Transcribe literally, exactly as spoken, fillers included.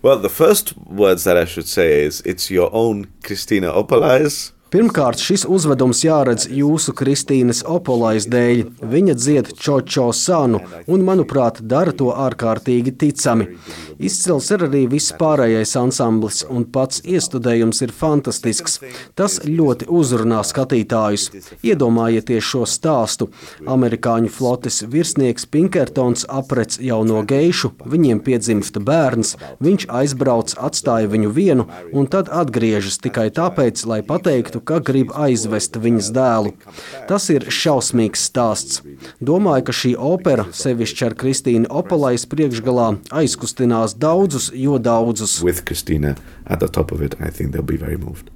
Well, the first words that I should say is, it's your own Christina Opolais. Pirmkārt, šis uzvedums jāredz jūsu Kristīnas Opolais dēļ. Viņa dzied Čočo Sanu un, manuprāt, dara to ārkārtīgi ticami. Izcils ir arī viss pārējais ansamblis, un pats iestudējums ir fantastisks. Tas ļoti uzrunā skatītājus. Iedomājieties šo stāstu. Amerikāņu flotes virsnieks Pinkertons aprec jauno geišu, viņiem piedzimst bērns, viņš aizbrauc, atstāja viņu vienu, un tad atgriežas tikai tāpēc, lai pateiktu, ka grib aizvest viņas dēlu. Tas ir šausmīgs stāsts. Domāju, ka šī opera, sevišķi ar Kristīnu Opolais priekšgalā, aizkustinās daudzus, jo daudzus. With Christina at the top of it, I think they'll be very moved.